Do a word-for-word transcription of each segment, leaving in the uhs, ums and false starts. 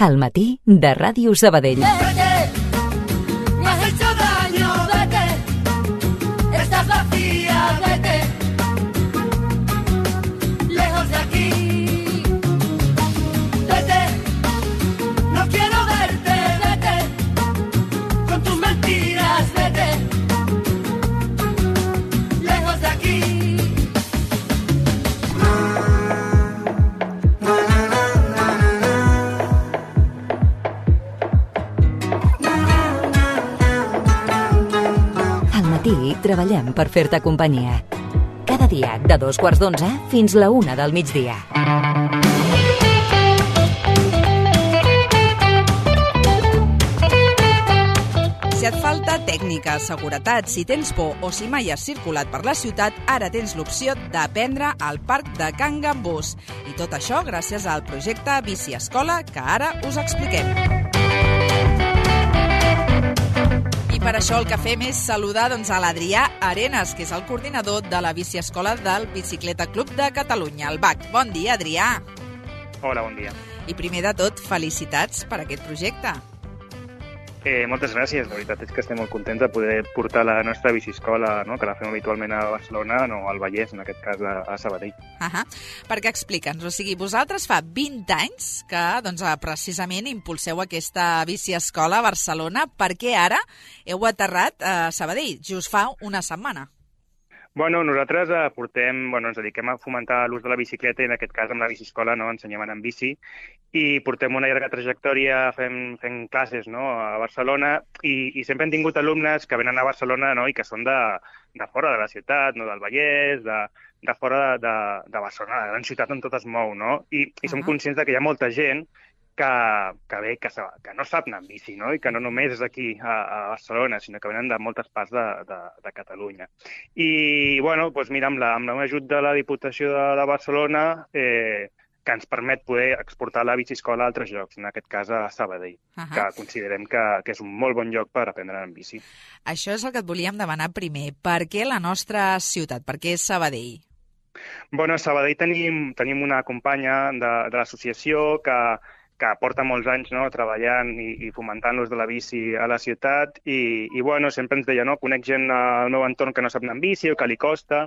Al matí de Ràdio Sabadell. Vete, me has hecho daño, vete, estás vacía, vete, lejos de aquí, vete, no quiero verte, vete, con tus mentiras, vete, lejos de aquí. Treballem per fer-te companyia. Cada dia de dos quarts d'onze fins la una del migdia. Si et falta tècnica, seguretat, si tens por o si mai has circulat per la ciutat, ara tens l'opció d'aprendre al Parc de Can Gambús. I tot això gràcies al projecte Bici Escola, que ara us expliquem. Per això el que fem és saludar doncs, a l'Adrià Arenas, que és el coordinador de la Bici Escola del Bicicleta Club de Catalunya, el B A C. Bon dia, Adrià. Hola, bon dia. I primer de tot, felicitats per aquest projecte. Eh, moltes gràcies. La veritat és que estem molt contents de poder portar la nostra biciescola, no? Que la fem habitualment a Barcelona, no al Vallès, en aquest cas a, a Sabadell. Ahà. Perquè explica'ns, o sigui, vosaltres fa vint anys que doncs, precisament impulseu aquesta biciescola a Barcelona, perquè ara heu aterrat a Sabadell, just fa una setmana. Bueno, nosaltres eh, portem, bueno, ens dediquem a fomentar l'ús de la bicicleta i en aquest cas amb la biciescola no, ensenyem a anar en bici i portem una llarga trajectòria fent, fent classes no, a Barcelona i, i sempre hem tingut alumnes que venen a Barcelona no, i que són de, de fora de la ciutat, no, del Vallès, de, de fora de, de Barcelona, la gran ciutat on tot es mou, no? I, i uh-huh. som conscients de que hi ha molta gent que, que bé, que, que no sap anar en bici, no? I que no només és aquí a, a Barcelona, sinó que venen de moltes parts de, de, de Catalunya. I, bueno, doncs mira, amb, la, amb l'ajut de la Diputació de, de Barcelona, eh, que ens permet poder exportar la biciescola a altres llocs, en aquest cas a Sabadell, uh-huh. que considerem que, que és un molt bon lloc per aprendre en bici. Això és el que et volíem demanar primer. Per què la nostra ciutat? Per què Sabadell? Bueno, a Sabadell tenim, tenim una companya de, de l'associació que que porta molts anys no, treballant i, i fomentant l'ús de la bici a la ciutat i, i bueno, sempre ens deia, no, conec gent al meu entorn que no sap anar en bici o que li costa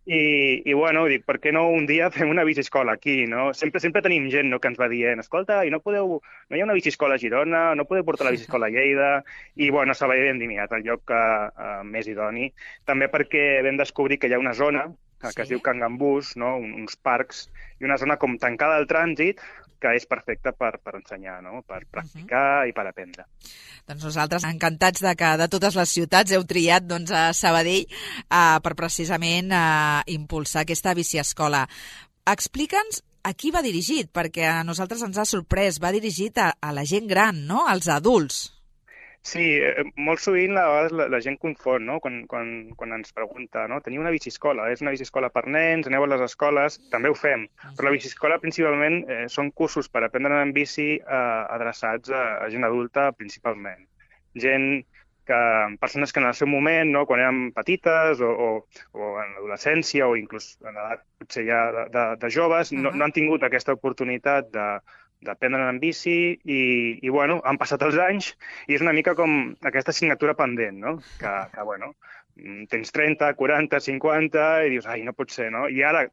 i, i bueno, dic, per què no un dia fem una biciescola aquí, no? Sempre sempre tenim gent no, que ens va dient, escolta, i no podeu, no hi ha una biciescola a Girona, no podeu portar la biciescola a Lleida i bueno, a Sabadell hem dit, mira, és el lloc que, uh, més idoni, també perquè vam descobrir que hi ha una zona que, sí. que es diu Can Gambús, no? uns parcs i una zona com tancada al trànsit que és perfecta per, per ensenyar, no? Per practicar uh-huh. i per aprendre. Doncs nosaltres encantats de que de totes les ciutats heu triat doncs, a Sabadell uh, per precisament uh, impulsar aquesta biciescola. Explica'ns a qui va dirigit, perquè a nosaltres ens ha sorprès. Va dirigit a, a la gent gran, no? Als adults. Sí, eh, molt sovint a vegades la, la gent confon, no? Quan, quan, quan ens pregunta, no? Teniu una biciescola, és una biciescola per nens, aneu a les escoles, també ho fem, però la biciescola principalment eh, són cursos per aprendre a anar en bici eh, adreçats a, a gent adulta principalment. Gent que, persones que en el seu moment, no? Quan eren petites o, o, o en l'adolescència o inclús en l'edat potser ja de, de, de joves, uh-huh. no, no han tingut aquesta oportunitat de d'aprendre en bici i, i, bueno, han passat els anys i és una mica com aquesta assignatura pendent, no? Que, que bueno, tens trenta, quaranta, cinquanta i dius, ai, no pot ser, no? I ara,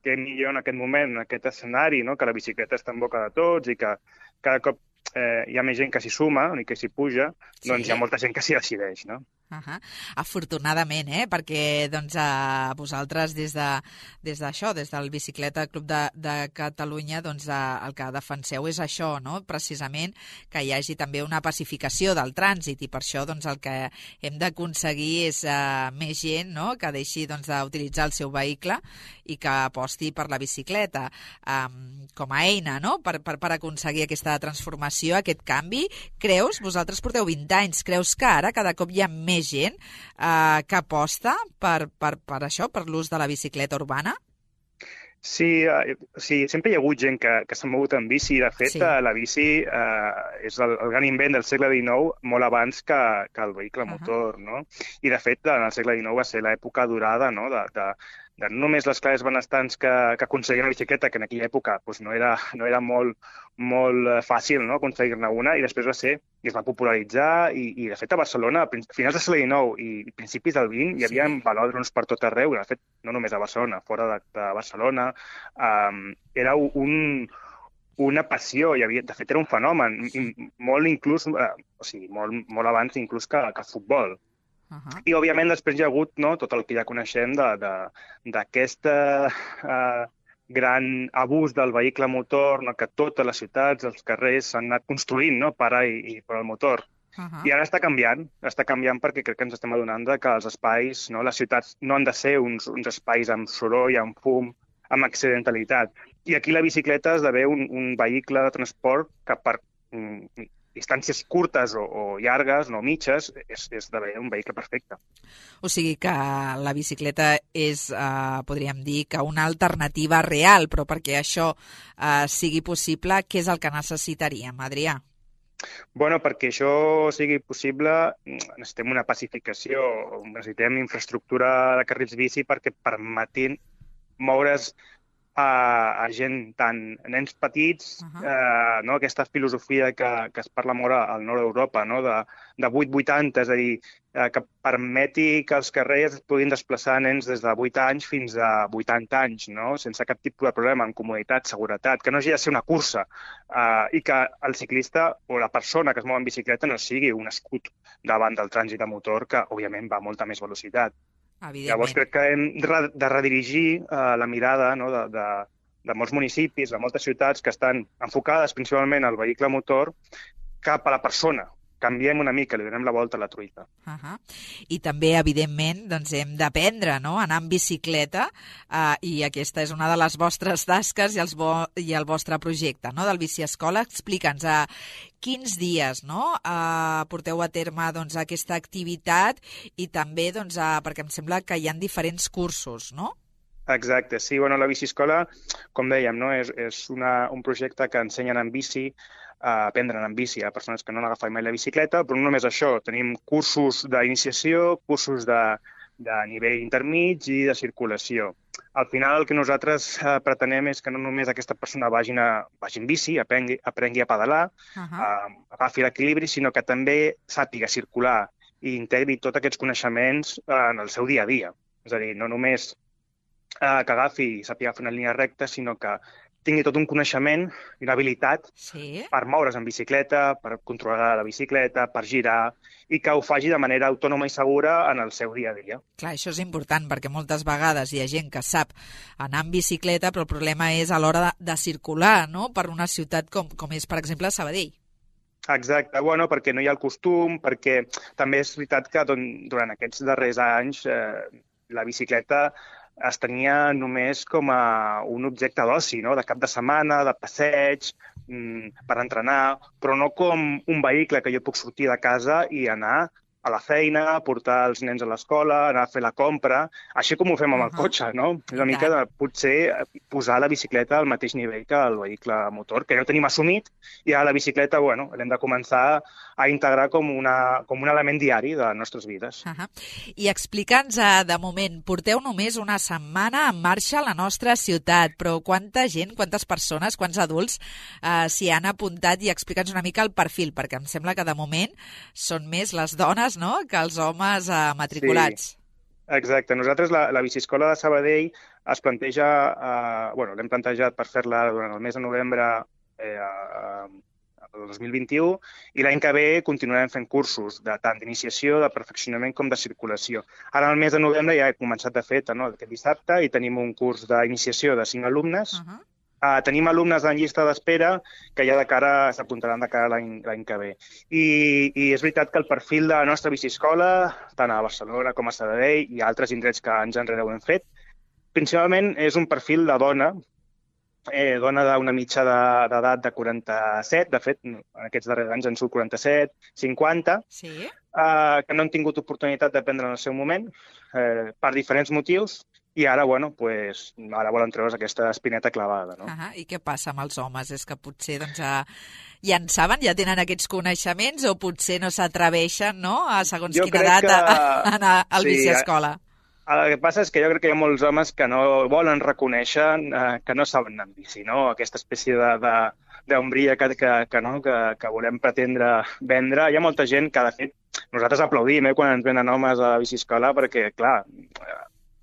què millor en aquest moment, en aquest escenari, no? Que la bicicleta està en boca de tots i que cada cop eh, hi ha més gent que s'hi suma i que s'hi puja, sí. doncs hi ha molta gent que s'hi decideix, no? Uh-huh. Afortunadament, eh? Perquè doncs, a vosaltres des de, des d'això, des del Bicicleta Club de, de Catalunya, doncs, a, el que defenseu és això, no? Precisament que hi hagi també una pacificació del trànsit i per això doncs, el que hem d'aconseguir és uh, més gent no? Que deixi doncs, d'utilitzar el seu vehicle i que aposti per la bicicleta um, com a eina no? per, per, per aconseguir aquesta transformació, aquest canvi. Creus, vosaltres porteu vint anys, creus que ara cada cop hi ha més gent eh, que aposta per, per, per això, per l'ús de la bicicleta urbana? Sí, eh, sí, sempre hi ha hagut gent que, que s'ha mogut en bici. De fet, sí. la bici eh, és el, el gran invent del segle dinou molt abans que, que el vehicle uh-huh. motor, no? I, de fet, en el segle dinou va ser l'època dorada no? de, de, de no només les classes benestants que, que aconseguien una bicicleta, que en aquella època doncs, no era, no era molt, molt fàcil, no?, aconseguir-ne una, i després va ser, i es va popularitzar, i, i de fet a Barcelona, a finals del segle dinou i principis del vint, hi havia sí. velòdroms per tot arreu, de fet, no només a Barcelona, fora de, de Barcelona, um, era un... una passió, hi havia, de fet era un fenomen, molt inclús, eh, o sigui, molt, molt abans inclús que, que el futbol. Uh-huh. I, òbviament, després hi ha hagut no, tot el que ja coneixem d'aquest uh, gran abús del vehicle motor, no, que totes les ciutats, els carrers s'han anat construint no, per a i, i per al motor. Uh-huh. I ara està canviant, està canviant perquè crec que ens estem adonant que els espais, no, les ciutats no han de ser uns, uns espais amb soroll, amb fum, amb accidentalitat. I aquí la bicicleta esdevé un, un vehicle de transport que per um, distàncies curtes o, o llargues, no mitges, és, és esdevé un vehicle perfecte. O sigui que la bicicleta és, eh, podríem dir, que una alternativa real, però perquè això eh, sigui possible, què és el que necessitaríem, Adrià? Bueno, perquè això sigui possible necessitem una pacificació, necessitem infraestructura de carrils bici perquè permetin moure's a, a gent, tant nens petits, uh-huh. eh, no? Aquesta filosofia que, que es parla molt al nord d'Europa, no? de, de vuit vuitanta, és a dir, eh, que permeti que els carrers puguin desplaçar nens des de vuit anys fins a vuitanta anys, no? Sense cap tipus de problema, amb comoditat, seguretat, que no hagi de ser una cursa eh, i que el ciclista o la persona que es mou en bicicleta no sigui un escut davant del trànsit de motor, que òbviament va a molta més velocitat. Llavors crec que hem de redirigir uh, la mirada no, de, de, de molts municipis, de moltes ciutats que estan enfocades principalment al vehicle motor cap a la persona. Canviem una mica, li donem la volta a la truita. Uh-huh. I també, evidentment, doncs hem d'aprendre no? a anar en bicicleta uh, i aquesta és una de les vostres tasques i, els vo i el vostre projecte no? del Bici Escola. Explica'ns a uh, quins dies no? uh, porteu a terme doncs, aquesta activitat i també, doncs, uh, perquè em sembla que hi ha diferents cursos, no? Exacte, sí. Bueno, la Bici Escola, com dèiem, no? és, és una, un projecte que ensenyen en bici, a aprendre en bici a persones que no han agafat mai la bicicleta, però no només això, tenim cursos d'iniciació, cursos de, de nivell intermig i de circulació. Al final el que nosaltres eh, pretenem és que no només aquesta persona vagi, a, vagi en bici, aprengui, aprengui a pedalar, uh-huh. eh, agafi l'equilibri, sinó que també sàpiga circular i integri tots aquests coneixements eh, en el seu dia a dia. És a dir, no només eh, que agafi i sàpiga fer una línia recta, sinó que tingui tot un coneixement i una habilitat sí. per moure's en bicicleta, per controlar la bicicleta, per girar, i que ho faci de manera autònoma i segura en el seu dia a dia. Clar, això és important, perquè moltes vegades hi ha gent que sap anar en bicicleta, però el problema és a l'hora de, de circular, no?, per una ciutat com, com és, per exemple, Sabadell. Exacte, bueno, perquè no hi ha el costum, perquè també és veritat que durant aquests darrers anys eh, la bicicleta es tenia només com a un objecte d'oci, no? De cap de setmana, de passeig, per entrenar, però no com un vehicle que jo puc sortir de casa i anar a la feina, portar els nens a l'escola, anar a fer la compra, així com ho fem amb el cotxe, no? És una mica de potser posar la bicicleta al mateix nivell que el vehicle motor, que ja ho tenim assumit, i ara la bicicleta, bueno, l'hem de començar a integrar com, una, com un element diari de les nostres vides. Uh -huh. I explica'ns, uh, de moment, porteu només una setmana en marxa a la nostra ciutat, però quanta gent, quantes persones, quants adults uh, s'hi han apuntat, i explica'ns una mica el perfil, perquè em sembla que de moment són més les dones, no?, que els homes eh, matriculats. Sí, exacte. Nosaltres, la, la Biciescola de Sabadell es planteja, eh, bueno, l'hem plantejat per fer-la durant el mes de novembre eh, del dos mil vint-i-u, i l'any que ve continuarem fent cursos de tant d'iniciació, de perfeccionament com de circulació. Ara, el mes de novembre, ja he començat de fet, no?, aquest dissabte, i tenim un curs d'iniciació de cinc alumnes. Uh -huh. Uh, tenim alumnes en llista d'espera que ja de cara s'apuntaran de cara l'any que ve. I, I és veritat que el perfil de la nostra biciescola, tant a Barcelona com a Sabadell i altres indrets que anys enrere ho hem fet, principalment és un perfil de dona, eh, dona d'una mitja d'edat de, de quaranta-set, de fet, en aquests darrers anys en surt quaranta-set, cinquanta, sí? uh, que no han tingut oportunitat d'aprendre en el seu moment, eh, per diferents motius, i ara, bueno, pues, ara volen treure's aquesta espineta clavada, no? Uh-huh. I què passa amb els homes? És que potser, doncs, ja, ja en saben, ja tenen aquests coneixements, o potser no s'atreveixen, no?, a segons jo quina edat que... a, a anar al sí, biciescola. El que passa és que jo crec que hi ha molts homes que no volen reconèixer eh, que no saben anar en bici, no? Aquesta espècie de, de, d'ombria que, que, que, no? que, que volem pretendre vendre. Hi ha molta gent que, de fet, nosaltres aplaudim eh, quan ens venen homes a la biciescola perquè, clar,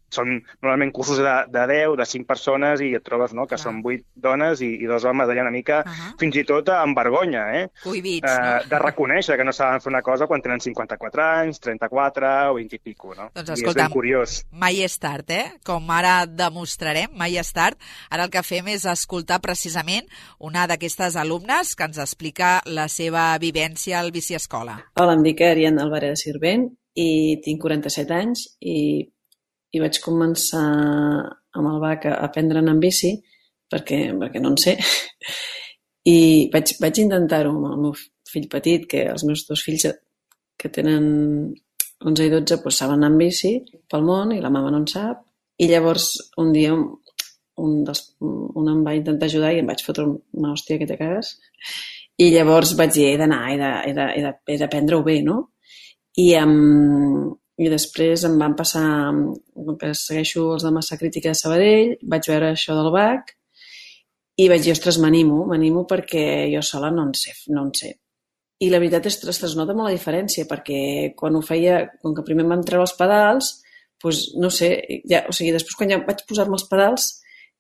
són normalment cursos de, de deu, de cinc persones i et trobes no, que Clar. Són vuit dones i, i dos homes allà una mica, uh -huh. fins i tot amb vergonya, eh? Cohibits, eh, no? De reconèixer que no saben fer una cosa quan tenen cinquanta-quatre anys, trenta-quatre o vint i pico, no? Doncs I escolta, és ben curiós. Mai és tard, eh? Com ara demostrarem, mai és tard. Ara el que fem és escoltar precisament una d'aquestes alumnes que ens explica la seva vivència al Biciescola. Hola, em dic Ariadna Alvarez Sirvent i tinc quaranta-set anys i i vaig començar amb el B A C a aprendre a anar en bici perquè, perquè no en sé i vaig, vaig intentar-ho amb el meu fill petit, que els meus dos fills que tenen onze i dotze doncs saben anar en bici pel món i la mama no en sap i llavors un dia un, dels, un em va intentar ajudar i em vaig fotre una hòstia que te cagues i llavors vaig dir he d'anar, he d'aprendre-ho bé, no? I amb I després em van passar, que segueixo els de Massa Crítica de Sabadell, vaig veure això del B A C i vaig dir, ostres, m'animo, m'animo perquè jo sola no en sé, no en sé. I la veritat és que es nota molt la diferència, perquè quan ho feia, com que primer em van treure els pedals, doncs no sé, ja, o sigui, després quan ja vaig posar-me els pedals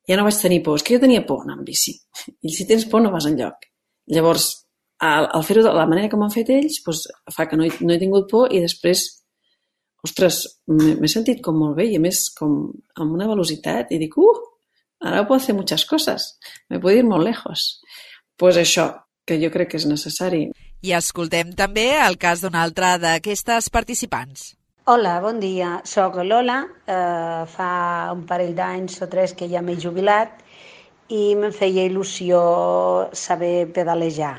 ja no vaig tenir por, és que jo tenia por anar en bici. I si tens por no vas enlloc. Llavors, al, al fer-ho de la manera com han fet ells, doncs fa que no he, no he tingut por i després ostres, m'he sentit com molt bé i a més com amb una velocitat i dic, uh, ara puedo hacer muchas cosas, me puedo ir molt lejos. Pues això, que jo crec que és necessari. I escoltem també el cas d'una altra d'aquestes participants. Hola, bon dia, soc Lola, eh, fa un parell d'anys o tres que ja m'he jubilat i em feia il·lusió saber pedalejar.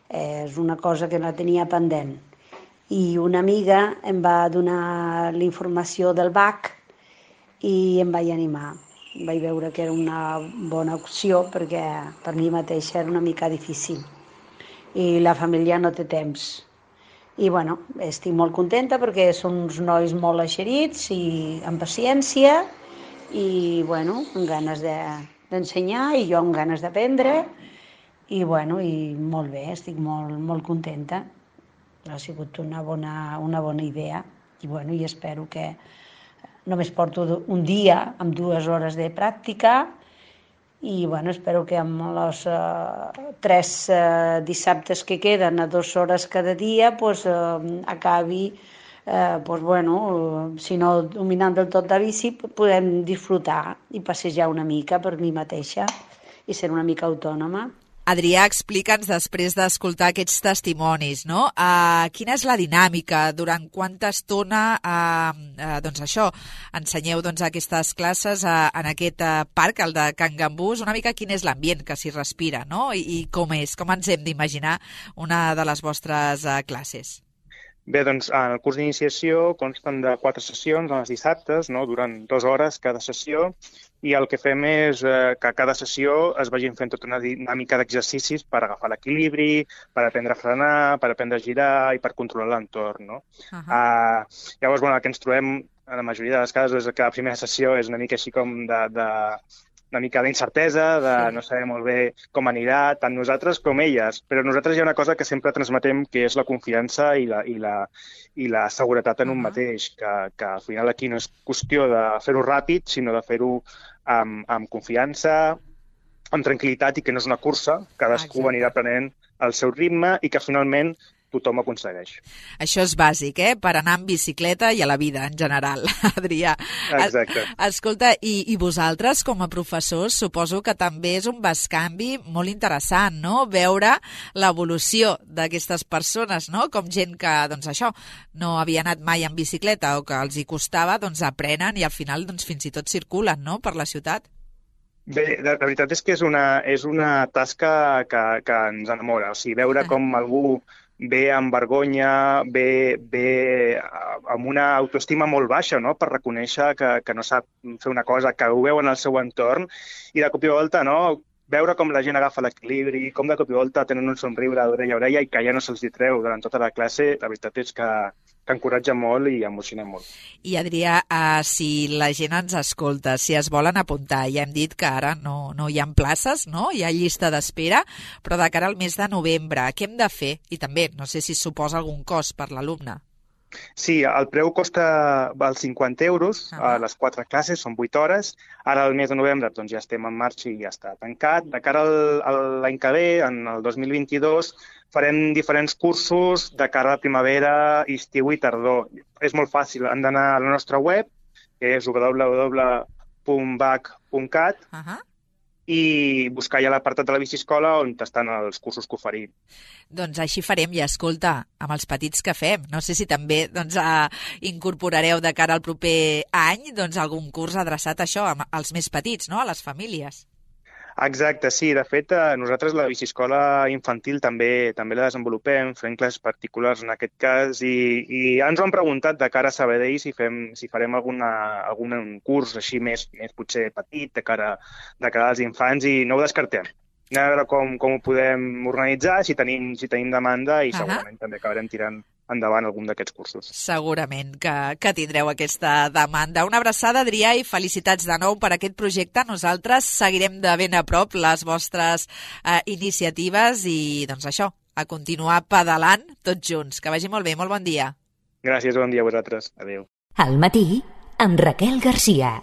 Eh, és una cosa que no tenia pendent. I una amiga em va donar la informació del B A C i em vaig animar. Vaig veure que era una bona opció perquè per mi mateixa era una mica difícil i la família no té temps. I bueno, estic molt contenta perquè són uns nois molt eixerits i amb paciència i bueno, amb ganes de, d'ensenyar i jo amb ganes d'aprendre i bueno, i molt bé, estic molt, molt contenta. Ha sigut una bona, una bona idea i, bueno, i espero que només porto un dia amb dues hores de pràctica i bueno, espero que amb els uh, tres uh, dissabtes que queden a dues hores cada dia pues, uh, acabi uh, pues, bueno, uh, si no dominant del tot la bici podem disfrutar i passejar una mica per mi mateixa i ser una mica autònoma. Adrià, explica'ns, després d'escoltar aquests testimonis, no? Uh, quina és la dinàmica? Durant quanta estona uh, uh, doncs això, ensenyeu doncs, aquestes classes uh, en aquest uh, parc, el de Can Gambús? Una mica quin és l'ambient que s'hi respira, no? I, I com és? Com ens hem d'imaginar una de les vostres uh, classes? Bé, doncs el curs d'iniciació consten de quatre sessions els dissabtes, no? Durant dues hores cada sessió, i el que fem és eh, que a cada sessió es vagin fent tota una dinàmica d'exercicis per agafar l'equilibri, per aprendre a frenar, per aprendre a girar i per controlar l'entorn, no? Uh -huh. uh, llavors, bueno, el que ens trobem a la majoria de les casos és que la primera sessió és una mica així com de... de una mica d'incertesa, de no saber molt bé com anirà, tant nosaltres com elles. Però nosaltres hi ha una cosa que sempre transmetem, que és la confiança i la, i la, i la seguretat en un mateix, que, que al final aquí no és qüestió de fer-ho ràpid, sinó de fer-ho amb, amb confiança, amb tranquil·litat i que no és una cursa, cadascú Exacte. Anirà prenent el seu ritme i que finalment tothom ho aconsegueix. Això és bàsic, eh?, per anar en bicicleta i a la vida en general, Adrià. Exacte. Escolta, i, i vosaltres com a professors suposo que també és un bescanvi molt interessant, no?, veure l'evolució d'aquestes persones, no?, com gent que, doncs això, no havia anat mai en bicicleta o que els hi costava, doncs aprenen i al final doncs fins i tot circulen, no?, per la ciutat. Bé, la veritat és que és una, és una tasca que, que ens enamora, o sigui, veure com algú ve amb vergonya, ve, ve amb una autoestima molt baixa, no?, per reconèixer que, que no sap fer una cosa, que ho veu en el seu entorn, i de cop i volta, no?, veure com la gent agafa l'equilibri, com de cop i volta tenen un somriure d'orella a orella i que ja no se'ls hi treu durant tota la classe, la veritat és que que encoratja molt i emociona molt. I Adrià, uh, si la gent ens escolta, si es volen apuntar, ja hem dit que ara no, no hi ha places, no? Hi ha llista d'espera, però de cara al mes de novembre, què hem de fer? I també, no sé si suposa algun cost per l'alumne. Sí, el preu costa els cinquanta euros a les quatre classes, són vuit hores. Ara, al mes de novembre, doncs ja estem en marxa i ja està tancat. De cara al, a l'any que ve, en el dos mil vint-i-dos, farem diferents cursos de cara a la primavera, estiu i tardor. És molt fàcil, han d'anar a la nostra web, que és w w w punt b a c punt cat, uh-huh. i buscar ja l'apartat de la biciescola on estan els cursos que oferim. Doncs així farem, i escolta, amb els petits que fem, no sé si també doncs, eh, incorporareu de cara al proper any doncs, algun curs adreçat a això, als més petits, no? A les famílies. Exacte, sí. De fet, nosaltres la biciescola infantil també també la desenvolupem, fem classes particulars en aquest cas, i, i ja ens ho han preguntat de cara a Sabadell si, fem, si farem alguna, algun curs així més, més potser petit, de cara, de cara als infants, i no ho descartem. Anem a veure com, com ho podem organitzar, si tenim, si tenim demanda, i segurament uh-huh. també acabarem tirant endavant algun d'aquests cursos. Segurament que, que tindreu aquesta demanda. Una abraçada, Adrià, i felicitats de nou per aquest projecte. Nosaltres seguirem de ben a prop les vostres eh, iniciatives i, doncs això, a continuar pedalant tots junts. Que vagi molt bé, molt bon dia. Gràcies, bon dia a vosaltres. Adéu. Al matí, amb Raquel Garcia.